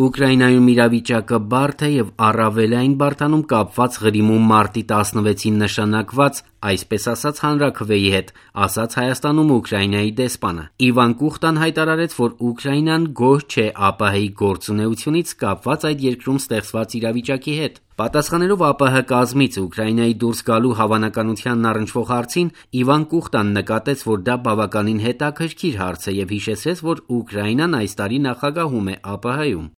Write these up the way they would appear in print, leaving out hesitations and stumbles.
Ուկրաինայում իրավիճակը բարդ է եւ առավելային բարդանում կապված Ղրիմում մարտի 16-ին նշանակված, այսպես ասած, հանրաքվեի հետ, ասաց Հայաստանում Ուկրաինայի դեսպանը։ Իվան Կուխտան հայտարարեց, որ Ուկրաինան գոհ չէ ԱՊՀ-ի գործունեությունից կապված այդ երկրում ստեղծված իրավիճակի հետ։ Պատասխանելով ԱՊՀ կազմից Ուկրաինայի դուրս գալու հավանականությանն առնչվող հարցին, Իվան Կուխտան նկատեց, որ դա բավականին հետաքրքիր հարց է եւ հիշեցրեց, որ Ուկրաինան այս տարի նախագահում է ԱՊՀ-ում։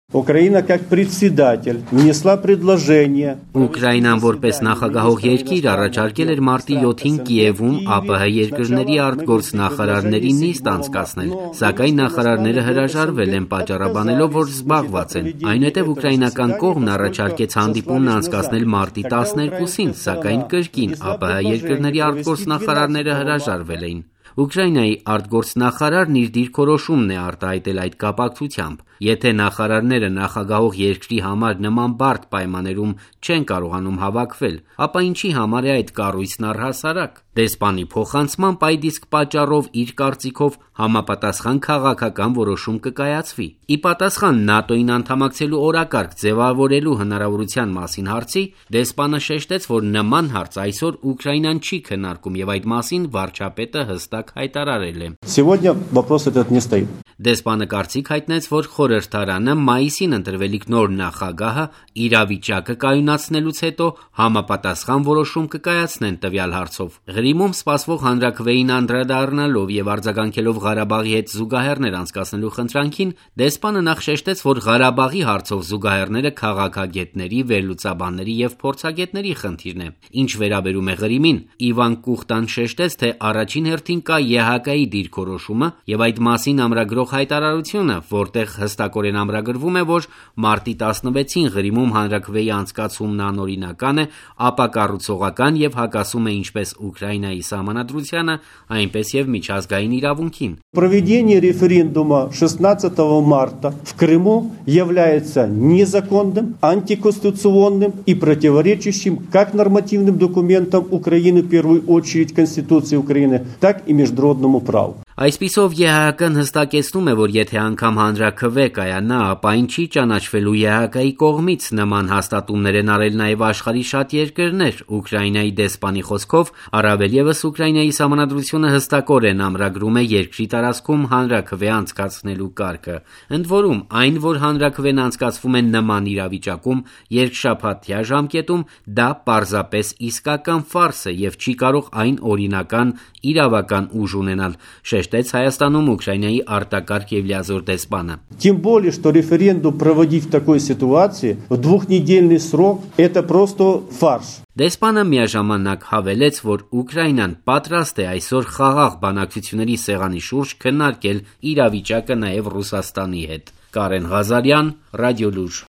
Ուկրաինան որպես նախագահող երկիր առաջարկել էր մարտի 7-ին Կիևում ԱՊՀ երկրների արտգործնախարարների նիստ անցկացնել, սակայն նախարարները հրաժարվել են պատճառաբանելով, որ զբաղված են։ Այնուհետև ուկրաինական կողմն առաջարկեց հանդիպումն անցկացնել մարտի 12-ին, սակայն կրկին ԱՊՀ երկրների արտգործնախարարները հրաժարվել էին։ Ուկրաինայի արտգործնախարարն իր դիրքորոշումն է արտահայտել այդ կապակցությամբ։ Եթե նախարարները նախագահող երկրի համար նման բարդ պայմաններում չեն կարողանում հավաքվել, ապա ինչի համար է այդ կառույցն առհասարակ։ Դեսպանի փոխանցմամբ այդ իսկ պատճառով իր կարծիքով համապատասխան քաղաքական որոշում կկայացվի։ Ի պատասխան ՆԱՏՕ-ին անդամակցելու օրակարգ ձևավորելու հնարավորության մասին հարցի, դեսպանը շեշտեց, որ նման հարց այսօր Ուկրաինան չի քննարկում եւ այդ մասին վարչապետը հստակ հայտարարել է։ Դեսպանը կարծիք հայտնեց, որ խորհրդարանը մայիսին ընտրվելիք նոր նախագահը իրավիճակը կայունացնելուց հետո համապատասխան որոշում կկայացնեն տվյալ հարցով։ Ղրիմում սպասվող հանրաքվեին անդրադառնալով եւ արձագանքելով Ղարաբաղի հետ զուգահեռներ անցկացնելու խնդրանքին, դեսպանը նախ շեշտեց, որ Ղարաբաղի հարցով զուգահեռները քաղաքագետների, վերլուծաբանների եւ փորձագետների խնդիրն է։ Ինչ վերաբերում է Ղրիմին, Իվան Կուխտան շեշտեց, թե առաջին հերթին կա ԵՀԿ-ի դիրքորոշումը եւ այդ մասին ամրագրող հայտարարությունը, որտեղ հստակորեն ամրագրվում է, որ մարտի 16-ին Ղրիմում հանրաքվեի անցկացումն անօրինական է, ապակառուցողական եւ հակասում է ինչպես Ուկրաինայի սահմանադրությանը, այնպես եւ միջազգային իրավունքին։ Проведение референдума 16 марта в Крыму является незаконным, антиконституционным и противоречащим как нормативным документам Украины, в первую очередь Конституции Украины, так и международному праву. Այսպիսով ԵՀԿ-ն հստակեցնում է, որ եթե անգամ հանրաքվե կայանա, ապա ինչի ճանաչվելու ԵՀԿ-ի կողմից նման հաստատումներ են արել նաև աշխարհի շատ երկրներ։ Ուկրաինայի դեսպանի խոսքով, առավել եւս Ուկրաինայի սահմանադրությունը հստակորեն ամրագրում է երկրի տարածքում հանրաքվե անցկացնելու կարգը։ Ընդ որում, այն, որ հանրաքվեն անցկացվում է նման իրավիճակում, երկշաբաթյա ժամկետում, դա պարզապես իսկական ֆարս է եւ չի կարող այն օրինական իրավական ուժ ունենալ, շեշտեց Հայաստանում Ուկրաինայի արտակարգ եւ լիազոր դեսպանը։ Тем более, что референдум проводить в такой ситуации в двухнедельный срок это просто фарс. Դեսպանը միաժամանակ հավելեց, որ Ուկրաինան պատրաստ է այսօր խաղաղ բանակցությունների սեղանի շուրջ քննարկել իրավիճակը նաև Ռուսաստանի հետ։ Կարեն Ղազարյան, Ռադիոլուր։